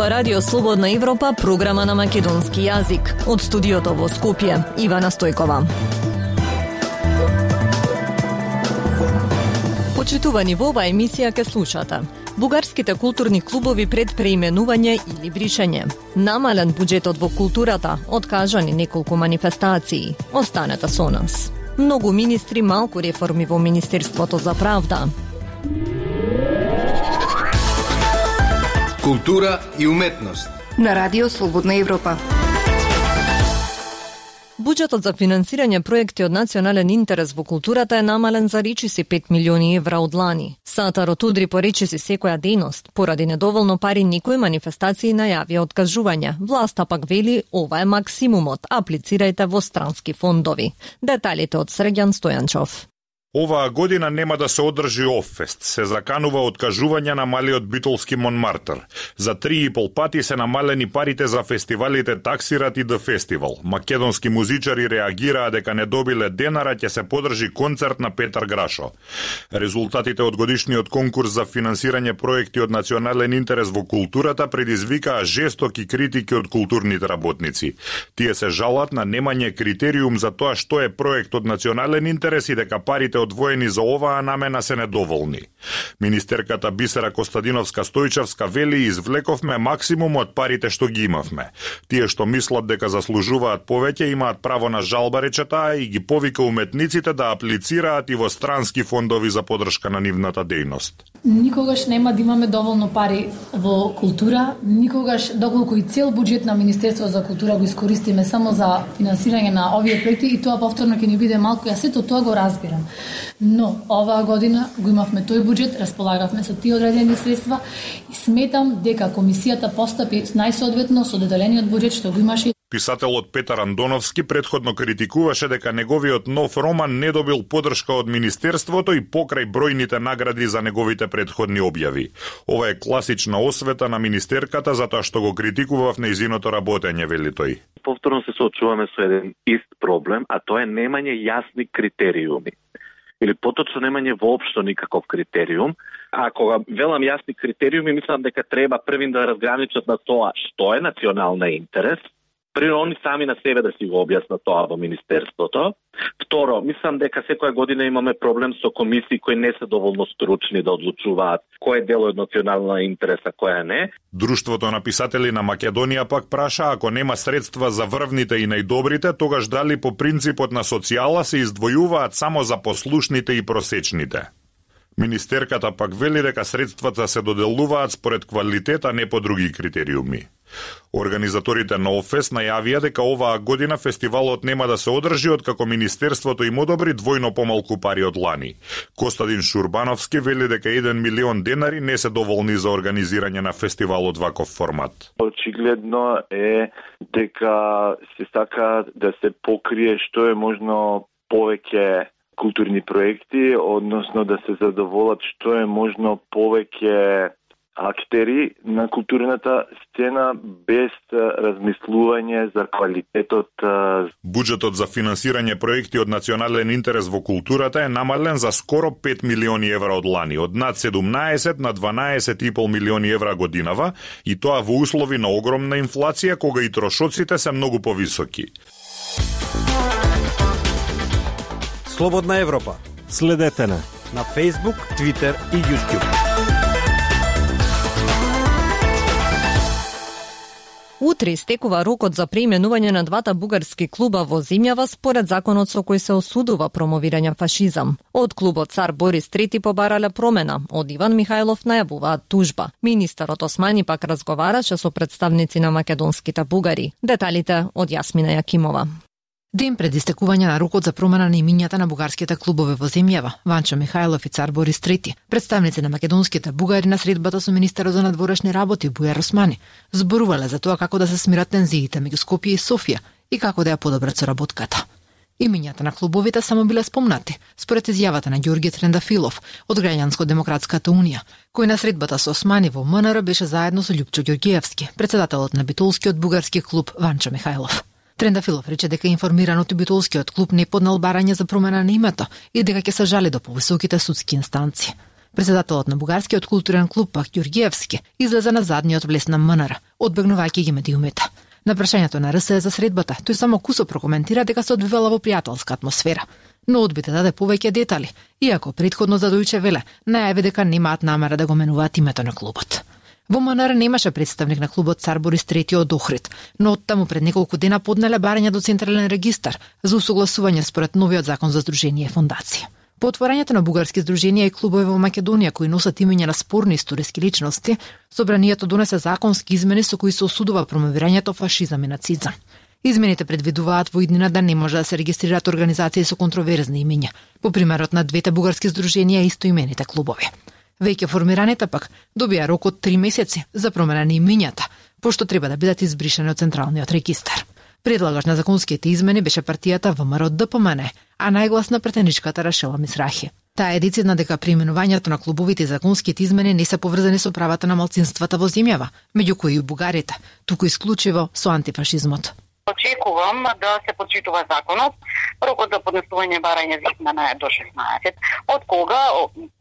ова Радио Слободна Европа, програма на македонски јазик. Од студиото во Скопје, Ивана Стојкова. Почитувани, во оваа емисија ке слушате: бугарските културни клубови пред преименување или бришење, намален буџетот во културата, откажани неколку манифестации. Останете со нас. Многу министри, малку реформи во Министерството за правда. Култура и уметност на Радио Слободна Европа. Буџетот за финансирање проекти од национален интерес во културата е намален за речиси 5 милиони евра од лани. Сатарот удри по речиси секоја дејност. Поради недоволно пари некои манифестации најавија откажување. Власта пак вели ова е максимумот, аплицирајте во странски фондови. Деталите од Срѓан Стојанчов. Оваа година нема да се одржи Оффест. Се заканува откажување на малиот битолски Монмартр. За 3,5 пати се намалени парите за фестивалите Таксират и The Festival. Македонски музичари реагираа дека не добиле денара, ќе се подржи концерт на Петар Грашо. Резултатите од годишниот конкурс за финансирање проекти од национален интерес во културата предизвикаа жестоки критики од културните работници. Тие се жалат на немање критериум за тоа што е проект од национален интерес и дека парите одвоени за оваа намена се недоволни. Министерката Бисера Костадиновска-Стојчевска вели: извлековме максимум од парите што ги имавме. Тие што мислат дека заслужуваат повеќе имаат право на жалба, рече таа, и ги повика уметниците да аплицираат и во странски фондови за подршка на нивната дејност. Никогаш нема да имаме доволно пари во култура, никогаш, доколку и цел буџет на Министерство за култура го искористиме само за финансирање на овие проекти, и тоа повторно ќе ни биде малку, јас сето тоа го разбирам. Но оваа година го имавме тој буџет, располагавме со тие одредени средства и сметам дека комисијата постапи најсоодветно со доделениот буџет што го имаше. Писателот Петар Андоновски предходно критикуваше дека неговиот нов роман не добил подршка од Министерството и покрај бројните награди за неговите предходни објави. Ова е класична освета на министерката затоа што го критикува в нејзиното работење, вели тој. Повторно се соочуваме со еден ист проблем, а тоа е немање јасни критериуми. Или поточно немање воопшто никаков критериум. А кога велам јасни критериуми, мислам дека треба првин да разграничат на тоа што е национална интерес. Прво, они сами на себе да си го објаснат тоа во Министерството. Второ, мислам дека секоја година имаме проблем со комисии кои не се доволно стручни да одлучуваат кој е дел од национална интерес, а кој не. Друштвото на писатели на Македонија пак праша, ако нема средства за врвните и најдобрите, тогаш дали по принципот на социјала се издвојуваат само за послушните и просечните. Министерката пак вели дека средствата се доделуваат според квалитет, а не по други критериуми. Организаторите на Оффест најавија дека оваа година фестивалот нема да се одржи откако Министерството им одобри двојно помалку пари од лани. Костадин Шурбановски вели дека 1 милион денари не се доволни за организирање на фестивал од ваков формат. Очигледно е дека се сака да се покрие што е можно повеќе културни проекти, односно да се задоволат што е можно повеќе актери на културната сцена без размислување за квалитетот. Буџетот за финансирање проекти од национален интерес во културата е намален за скоро 5 милиони евра од лани, од над 17 на 12,5 милиони евра годинава, и тоа во услови на огромна инфлација кога и трошоците се многу повисоки. Слободна Европа. Следете на Facebook, Twitter и YouTube. Утре истекува рокот за преименување на двата бугарски клуба во земјава според законот со кој се осудува промовирање фашизам. Од клубот Цар Борис III побарале промена, од Иван Михајлов најавуваат тужба. Министерот Османи пак разговараше со представници на македонските бугари. Деталите од Јасмина Јакимова. Ден пред истекување на рокот за промена на имињата на бугарските клубове во земјава, Ванчо Михајлов и Цар Борис III, представници на македонските бугари на средбата со министерот за надворешни работи Бујар Османи, зборувале за тоа како да се смират тензиите меѓу Скопје и Софија и како да ја подобрат соработката. Имињата на клубовите само биле спомнати, според изјавата на Ѓорѓе Трендафилов од Граѓанско-демократската унија, кој на средбата со Османи во МНР беше заедно со Љупчо Ѓорѓиевски, председателот на битолскиот бугарски клуб Ванчо Михајлов. Трендафилов рече дека информираното битолскиот клуб не поднал барање за промена на името и дека ќе се жали до повисоките судски инстанции. Председателот на бугарскиот културен клуб Пак Ѓурѓиевски излезе на задниот влез на МНР, одбегнувајќи ги медиумите. На прашањето на РС за средбата, тој само кусо прокоментира дека се одвивала во пријателска атмосфера, но одби да даде повеќе детали, иако претходно за Дојче Веле најави дека немаат намера да го менуваат името на клубот. Во МНР немаше представник на клубот Цар Борис III од Охрид, но оттаму пред неколку дена поднеле барање до Централен регистар за усогласување според новиот закон за здружение и фондација. По отворањето на бугарски здруженија и клубови во Македонија кои носат имиња на спорни историски личности, собранието донесе законски измени со кои се осудува промовирањето фашизам и нацизам. Измените предвидуваат во иднина да не може да се регистрираат организации со контроверзни имиња, по примерот на двете бугарски здруженија и истоимените клубови. Веќе формираните пак добија рок од 3 месеци за промена на имињата, пошто треба да бидат избришани од Централниот регистар. Предлагач на законските измени беше партијата ВМРО ДПМН, а најгласна претеничката Рашела Мисрахи. Таа е децидна дека преименувањето на клубовите и законските измени не се поврзани со правата на малцинствата во земјава, меѓу кои и бугарите, туку исклучиво со антифашизмот. Очекувам да се почитува законот. Рокот за поднесување барање за измена е до 16. Од кога,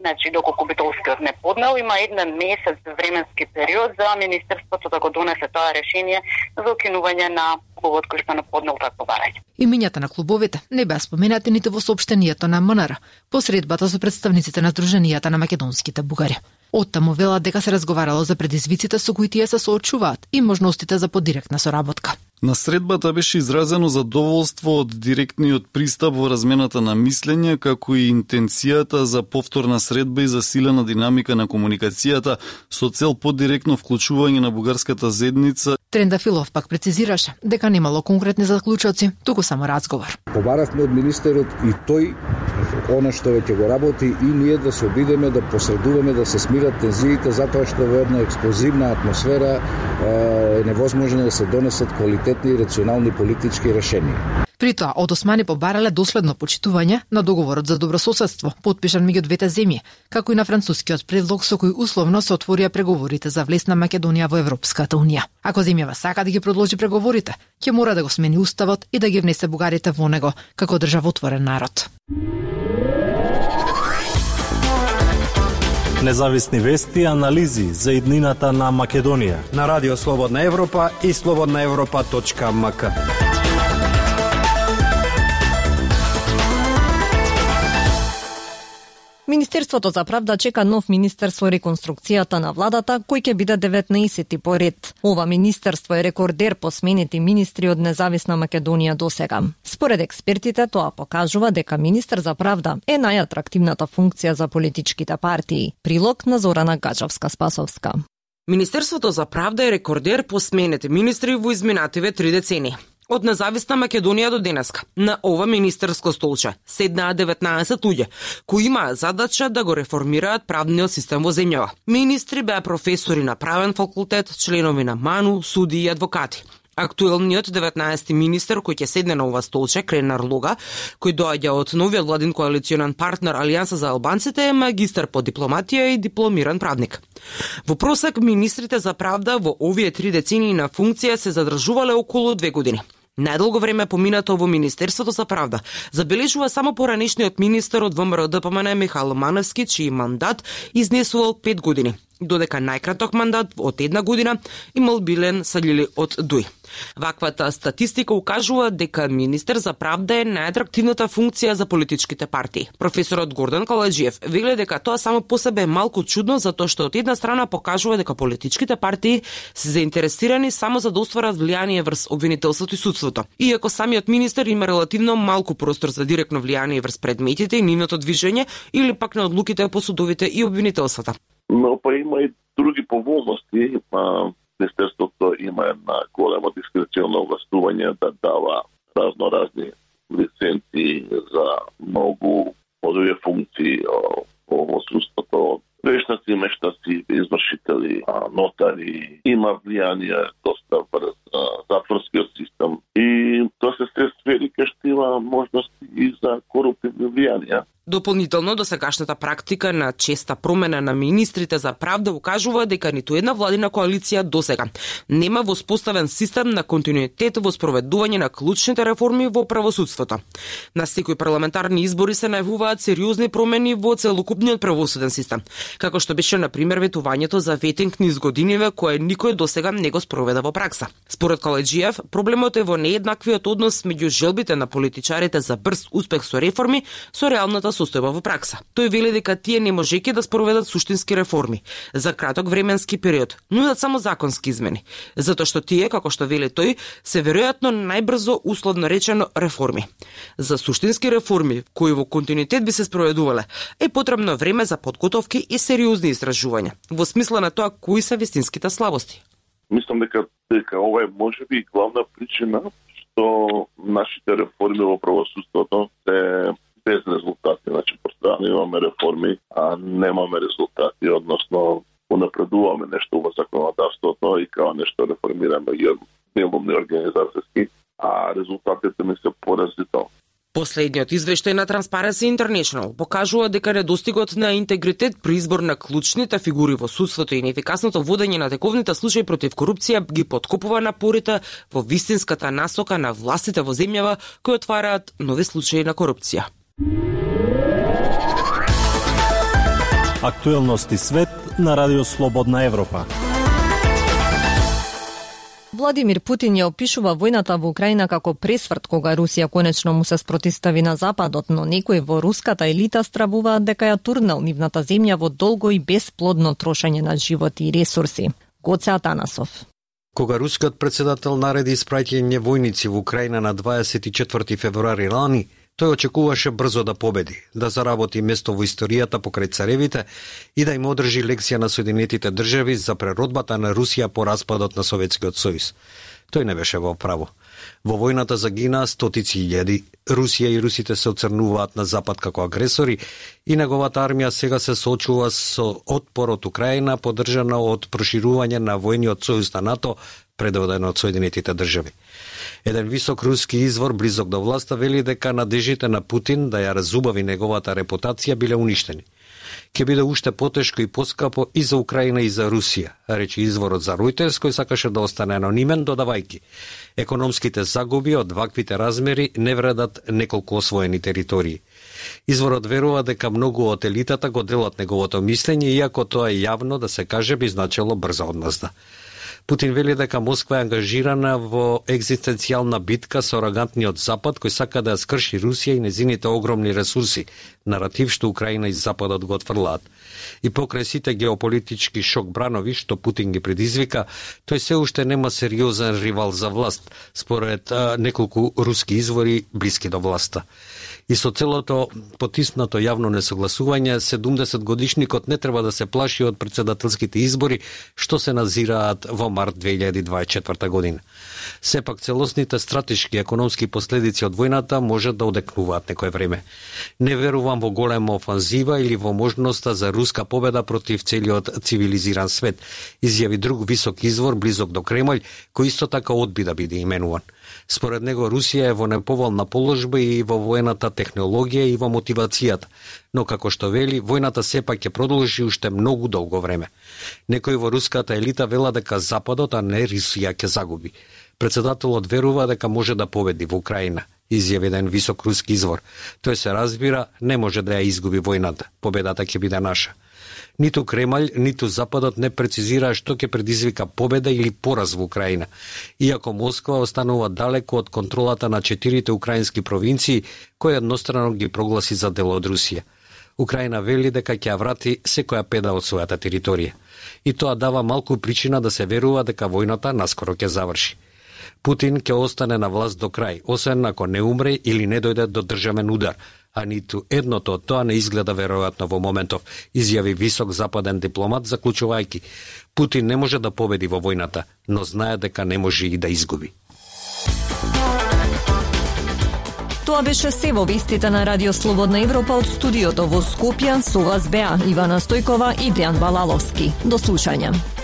значи доколку Битолскиот не поднел, има 1 месец временски период за Министерството да го донесе тоа решение за укинување на клубот кој што не поднел такво барање. Имињата на клубовите не беа споменати ниту во соопштението на МНР, по средбата со представниците на Сдруженијата на македонските бугари. Оттаму велат дека се разговарало за предизвиците со кои тие се соочуваат и можностите за подиректна соработка. На средбата беше изразено задоволство од директниот пристап во размената на мислење, како и интенцијата за повторна средба и засилена динамика на комуникацијата со цел подиректно вклучување на бугарската заедница. Трендафилов пак прецизираше дека немало конкретни заклучоци, туку само разговор. Побаравме од министерот и тој она што веќе го работи и ние да се обидеме да посредуваме да се смират тензиите, затоа што во една експлозивна атмосфера е невозможно да се донесат квалитетни и рационални политички решенија. При тоа, од Османи побарале доследно почитување на договорот за добрососедство, потпишан меѓу двете земји, како и на францускиот предлог со кој условно се отворија преговорите за влез на Македонија во Европската унија. Ако земјава сака да ги продолжи преговорите, ќе мора да го смени уставот и да ги внесе бугарите во него како државотворен народ. Независни вести и анализи за иднината на Македонија на Радио Слободна Европа и slobodnaevropa.mk. Министерството за правда чека нов министер со реконструкцијата на владата, кој ќе биде 19-ти по ред. Ова министерство е рекордер по сменети министри од Независна Македонија досега. Според експертите, тоа покажува дека министер за правда е најатрактивната функција за политичките партии. Прилог на Зорана Гаджевска-Спасовска. Министерството за правда е рекордер по сменети министри во изминативе 3 децении. Од Независна Македонија до денеска на ова министерско столче седнаа 19 луѓе кои имаат задача да го реформираат правниот систем во земјава. Министри беа професори на правен факултет, членови на МАНУ, суди и адвокати. Актуелниот 19-ти министер кој ќе седне на ова столче, Кренар Лога, кој доаѓа од новиот владин коалиционен партнер Алијанса за албанците, е магистар по дипломатија и дипломиран правник. Во просек, министрите за правда во овие 3 децении на функција се задржувале околу 2 години. Најдолго време поминато во Министерството за правда забележува само поранешниот министер од ВМРО ДПМН Михаил Маневски, чиј мандат изнесувал 5 години, додека најкраток мандат од 1 година имал Билен Саљили од ДУИ. Ваквата статистика укажува дека министер за правда е најатрактивната функција за политичките партии. Професорот Гордан Каладжиев вели дека тоа само по себе е малку чудно, затоа што од една страна покажува дека политичките партии се заинтересирани само за да остварат влијание врз обвинителството и судството. Иако самиот министер има релативно малку простор за директно влијание врз предметите и нивното движење или пак на одлуките по судовите и обвинителствата. Но па има и други поволности. Министерството има една голема дискреционно овластување да дава разноразни лиценци за многу подови функции во судството. Вештаци, мештаци, извршители, нотари, има влијание доста врз затворскиот систем и тоа се сфери кај што има можности и за коруптивни влијанија. Дополнително, досегашната практика на честа промена на министрите за правда укажува дека ниту една владина коалиција досега нема воспоставен систем на континуитет во спроведување на клучните реформи во правосудството. На секои парламентарни избори се најавуваат сериозни промени во целокупниот правосуден систем, како што беше на пример ветувањето за ветинг низ годиниве кое никој досега не го спроведа во пракса. Според Каледжиев, проблемот е во нееднаквиот однос меѓу желбите на политичарите за брз успех со реформи со реалната состојба во пракса. Тој вели дека тие не можејќи да спроведат суштински реформи за краток временски период, нудат само законски измени, затоа што тие, како што вели тој, се веројатно најбрзо условно речено реформи. За суштински реформи кои во континуитет би се спроведувале, е потребно време за подготовки и сериозни истражувања, во смисла на тоа кои се вистинските слабости. Мислам дека ова е можеби главна причина што нашите реформи во правосудството се без резултати. Значи, пострана имаме реформи, а немаме резултати, односно унапредуваме нешто во законодавството и као нешто реформираме делумни организацијски, а резултатите ми се поразителни. Последниот извештај на Transparency International покажува дека недостигот на интегритет при избор на клучните фигури во судството и неефикасното водење на тековните случаи против корупција ги подкопува напорите во вистинската насока на властите во земјава кои отвараат нови случаи на корупција. Актуелности свет на Радио Слободна Европа. Владимир Путин ја опишува војната во Украина како пресврт кога Русија конечно му се спротистави на Западот, но некои во руската елита стравуваат дека ја турнал нивната земја во долго и бесплодно трошење на живот и ресурси. Гоце Атанасов. Кога рускиот председател нареди испраќање војници во Украина на 24 февруари лани, тој очекуваше брзо да победи, да заработи место во историјата покрај царевите и да им одржи лекција на Соединетите држави за преродбата на Русија по распадот на Советскиот сојуз. Тој не беше во право. Во војната загинаа стотици илјади. Русија и русите се оцрнуваат на Запад како агресори и неговата армија сега се соочува со отпор од Украина, поддржана од проширување на војниот сојуз на НАТО, предводен од Соединетите држави. Еден висок руски извор близок до власта вели дека надежите на Путин да ја разубави неговата репутација биле уништени. Ќе биде уште потешко и поскапо и за Украина и за Русија, рече изворот за Reuters, кој сакаше да остане анонимен, додавајки: економските загуби од ваквите размери не вредат неколку освоени територии. Изворот верува дека многу од елитата го делат неговото мислење, иако тоа е јавно да се каже би значило брза одмазда. Путин вели дека Москва е ангажирана во екзистенцијална битка со арогантниот Запад кој сака да ја скрши Русија и незините огромни ресурси, наратив што Украина и Западот го отфрлаат. И покрај сите геополитички шок бранови што Путин ги предизвика, тој се уште нема сериозен ривал за власт, според неколку руски извори блиски до власта. И со целото потиснато јавно несогласување, 70-годишникот не треба да се плаши од председателските избори што се назираат во март 2024 година. Сепак целосните стратешки и економски последици од војната може да одекнуваат некое време. Не верувам во голема офанзива или во можноста за руска победа против целиот цивилизиран свет, изјави друг висок извор близок до Кремљ, кој исто така одби да биде именуван. Според него Русија е во неповолна положба и во воената технологија и во мотивацијата, но како што вели, војната сепак ќе продолжи уште многу долго време. Некои во руската елита велат дека Западот, а не Русија ќе загуби. Председателот верува дека може да победи во Украина, изјави еден висок руски извор. Тој се разбира, не може да ја изгуби војната. Победата ќе биде наша. Ниту Кремљ, ниту Западот не прецизира што ќе предизвика победа или пораз во Украина, иако Москва останува далеко од контролата на 4 украински провинции, кои еднострано ги прогласи за дел од Русија. Украина вели дека ќе ја врати секоја педа од својата територија. И тоа дава малку причина да се верува дека војната наскоро ќе заврши. Путин ќе остане на власт до крај, освен ако не умре или не дојде до државен удар, а ниту едното од тоа не изгледа веројатно во моментов, изјави висок западен дипломат, заклучувајќи: Путин не може да победи во војната, но знае дека не може и да изгуби. Тоа беше се во вестите на Радио Слободна Европа од студиото во Скопје. Со вас беа Ивана Стојкова и Дејан Балаловски. До слушање.